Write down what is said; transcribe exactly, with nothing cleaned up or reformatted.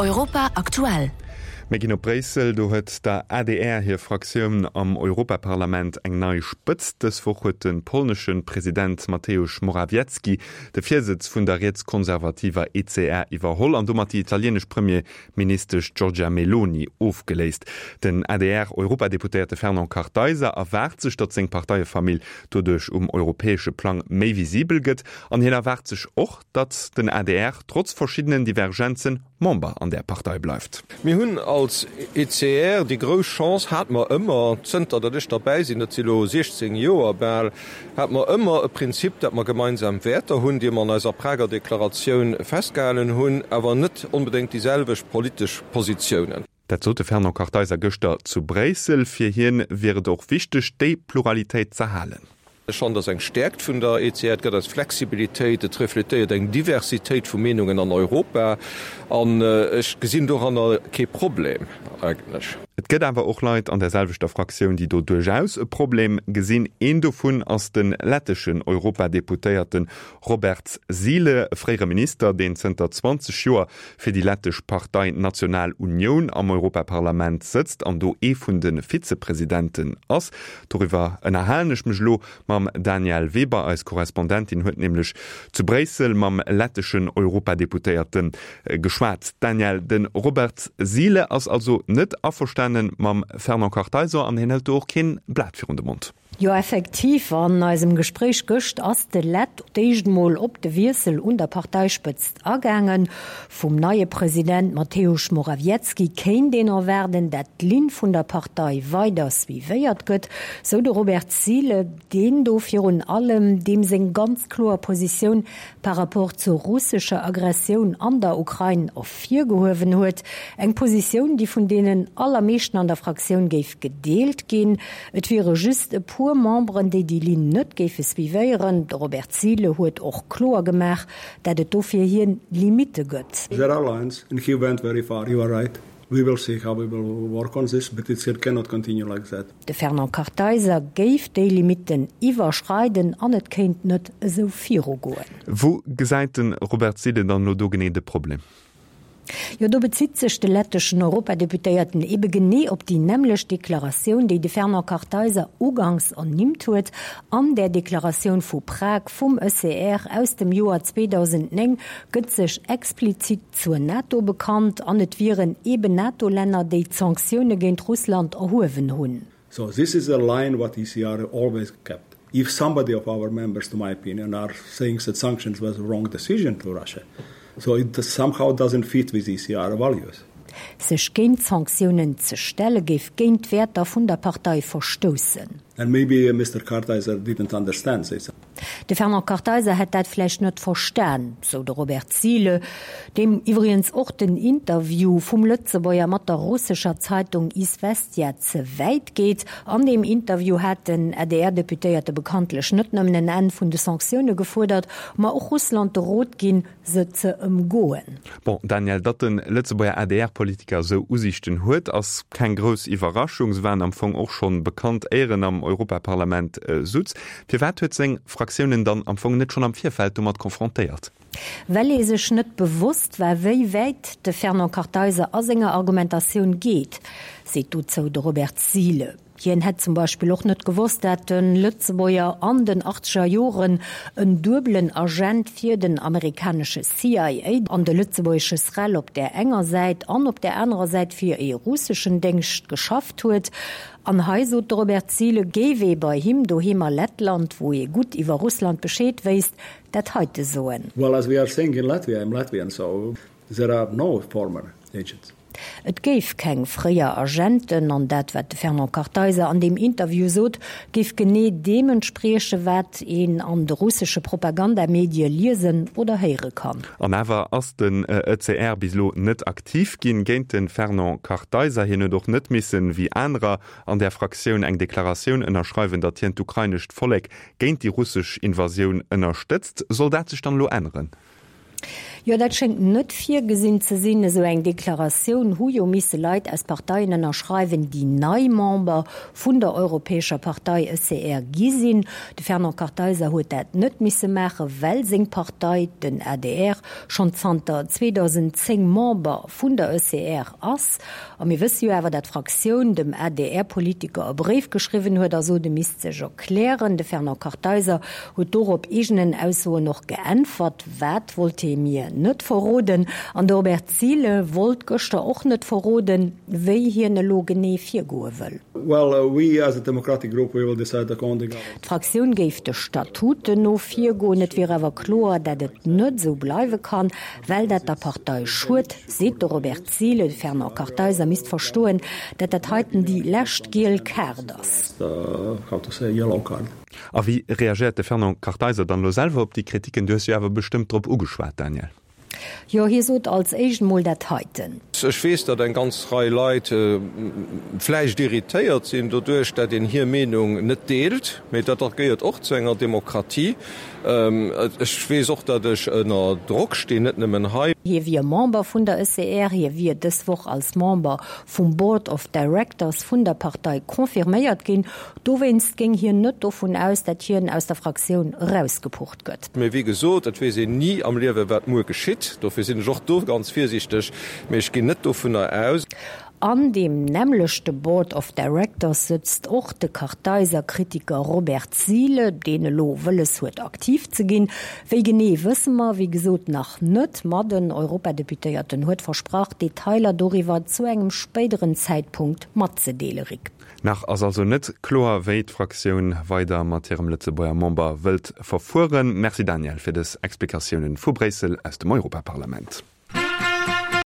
Europa aktuell. Mir ginn op Bréissel, do huet der A D R hir Fraktioun am Europaparlament eng nei Spëtzt. Dës Woch huet de polnesche President Mateusz Morawiecki de Virsëtz vun der rietskonservativer E C R iwwerholl an domat déi italienesch Premierministesch Giorgia Meloni ofgeléist. Den A D R-Europadeputéierte Fernand Kartheiser erwaart sech, datt seng Parteiefamill doduerch um europäesche Plang méi visibel gëtt, an hien erwaart sech och, datt den A D R trotz verschiddenen Divergenzen Member an der Partei bleift. Mir hunn als E C R déi grouss Chance, hate mer ëmmer, zënter datt ech derbäi sinn, dat si lo siechzéng Joer bal, hate mer ëmmer e Prinzip, datt mer gemeinsam Wäerter hunn, déi mer an eiser Prager Deklaratioun festgehalen hunn, awer net onbedéngt déi selwecht politesch Positiounen. Dat sot de Fernand Kartheiser gëschter zu Bréissel. Fir hien wier et och wichteg, déi Pluralitéit z'erhalen. Ech fannen, dat ass eng Stäerkt vun der E C R, et gëtt eis Flexibilitéit, et refletéiert eng Diversitéit vu Meenungen an Europa an ech gesinn doranner kee Problem eigentlech. Et gëtt awer och Leit an der selwechter Fraktioun, déi do duerchaus e Problem gesinn. Een dovun ass de letteschen Europadeputéierte Roberts Zile, e fréiere Minister, deen zënter zwanzeg Joer fir déi lettesch Partei National Unioun am Europaparlament sëtzt an do ee vun de Vizepresidenten ass. Doriwwer ënnerhalen ech mech elo mam Danièle Weber. Eis Korrespondentin huet nämlech zu Bréissel mam letteschen Europadeputéierte geschwat. Danièle, de Roberts Zile ass also net averstanen mam Fernand Kartheiser an hien hëlt do och keen Blat virun de Mond. Jo, effektiv, an eisem Gespréich gëscht ass de Lett d'éischt mol op de Wiessel un der Parteispëtzt agaangen. Vum neie President Mateusz Morawiecki kéint een erwaarden, dat d'Linn vun der Partei weider suivéiert gëtt, sou de Robert Zile, deen do virun allem deem seng ganz kloer Positioun par rapport zur russescher Aggressioun an der Ukrain ervirgehuewen huet. Eng Positioun, déi vun deenen allermeeschten an der Fraktioun géif gedeelt ginn. Et wiere just e puer Memberen, déi déi Linn net géife suivéieren. De Robert Zile huet och kloer gemaach, dat et do fir hien Limitte gëtt. There are lines and he went very far, you are right. We will see how we will work on this, but it cannot continue like that. De Fernand Kartheiser géif déi Limitten iwwerschreiden an et kéint net esou virugoen. Wou gesäit de Robert Zile dann elo do genee de Problem? Jo, do bezitt sech de letteschen Europadeputéierten ebe genee op déi nämmlecht Deklaratioun, déi de Fernand Kartheiser uganks ernimmt huet. An där Deklaratioun vu Prag vum E C R aus dem Joer zweedausendnéng gëtt sech explizit zur NATO bekannt an et wieren eben NATO-Länner, déi d'Sanktioune géint Russland erhuewen hunn. So this is a line what E C R always kept. If somebody of our members, to my opinion, are saying that sanctions was a wrong decision to Russia, so it somehow doesn't fit with E C R values. Sech géint d'Sanktiounen ze stelle géif géint d'Wäerter vun der Partei verstoussen. And maybe Mister Kartheiser didn't understand this. De Fernand Kartheiser hätt dat vläicht net verstan, sou de Robert Zile, deem iwwregens och den Interview vum Lëtzebuerger mat der russescher Zeitung Iswestja ze wäit geet. An deem Interview hat den A D R-Deputéierte bekanntlech net nëmmen en Enn vun de Sanktioune gefuerdert, ma och Russland de Rot ginn, se ze ëmgoen. Bon, Danièle, datt de Lëtzebuerger A D R-Politiker esou Usiichten huet, ass keng grouss Iwwerraschung. Se waren am Fong och schonn bekannt, éier en am Europaparlament sutz. Firwat huet seng Fraktioun en dann am Fong net schonn am Virfeld domat konfrontéiert? Well ee sech net bewosst war, wéi wäit de Fernand Kartheiser a senger Argumentatioun geet, seet dozou de Robert Zile. Hien hätt zum Beispill och net gewosst, dat de Lëtzebuerger an den achtzeger Joren en duebelen Agent fir den amerikanesche C I A an de lëtzebuergesche SREL op där enger Säit an op där anerer Säit fir e russeschen Déngscht geschafft huet. An hei, sot de Robert Zile, géif ee bei him doheem a Lettland, wou ee gutt iwwer Russland Bescheed wéisst, dat heite soen. Well, as we are saying in Latvia, I'm Latvian, so there are no former agents. Et géif keng fréier Agenten an dat, wat de Fernand Kartheiser an deem Interview sot, géif genee deem entspriechen, wat een an de russesche Propagandamedie liesen oder héiere kann. An awer ass den E C R bis elo net aktiv ginn géint de Fernand Kartheiser. Hien huet och net missen, wéi anerer an der Fraktioun, eng Deklaratioun ënnerschreiwen, datt hien d'ukrainescht Vollek géint déi russesch Invasioun ënnerstëtzt. Soll dat sech dann elo änneren? Jo, dat schéngt net virgesinn ze sinn. Esou eng Deklaratioun hu jo misse Leit aus Parteien ënnerschreiwen, déi nei Member vun der Europäescher Partei ECR gi sinn. De Fernand Kartheiser huet dat net misse maachen, well seng Partei, den adr, schonn zanter zweedausendzéng Member vun der ECR ass. A mir wësse jo awer, dat d'Fraktioun dem A D R-Politiker e Bréif geschriwwen huet a sot, e misst sech erklären. De Fernand Kartheiser huet dorop eegenen Aussoen och geäntwert. Wat, wollt hie mir net verroden. An de Robert Zyle wollt gëschter och net verroden, wéi hien elo genee virgoe wëll. D'Fraktioun géif de Statuten no virgoen. Et wier awer kloer, dat et net esou bleiwe kann, well dat der Partei schued, seet de Robert Zyle. De Fernand Kartheiser misst verstoen, dat dat heiten déi lescht giel Kaart ass. A wéi reagéiert de Fernand Kartheiser dann elo selwer op déi Kritiken? Du hues jo awer bestëmmt drop ugeschwat, Daniel. Jo, hie sot als éischt mol dat heiten. Ech weess, datt eng ganz Rei Leit vläicht irritéiert sinn doduerch, datt een hir Meenung net deelt, mee dat gehéiert och zu enger Demokratie. Ech weess och, datt ech ënner Drock stinn, net nëmmen hei. Hie wier Member vun der E C R, hie wier dës Woch als Member vum Board of Directors vun der Partei confirméiert ginn. Dowéinst géing hien net dovun aus, datt hien aus der Fraktioun erausgepucht gëtt. Mee wéi gesot, et weess een ni am Liewe wat muer geschitt. Dofir sinn ech och do ganz virsiichteg, mee ech ginn net dovunner aus. An deem nämmlechte Board of Directors sëtzt och de Kartheiser-Kritiker Robert Zyle, deen elo wëlles huet aktiv ze ginn. Wéi genee wësse mer wéi gesot nach net, ma den Europadeputéierten huet versprach, Detailer doriwwer zu engem spéideren Zäitpunkt matzedeele. Rick. Nach ass also net kloer, wéi d'Fraktioun weider mat hirem Lëtzebuerger Member wëllt verfueren. Merci Daniel fir dës Explikatiounen vu Bréissel aus dem Europaparlament.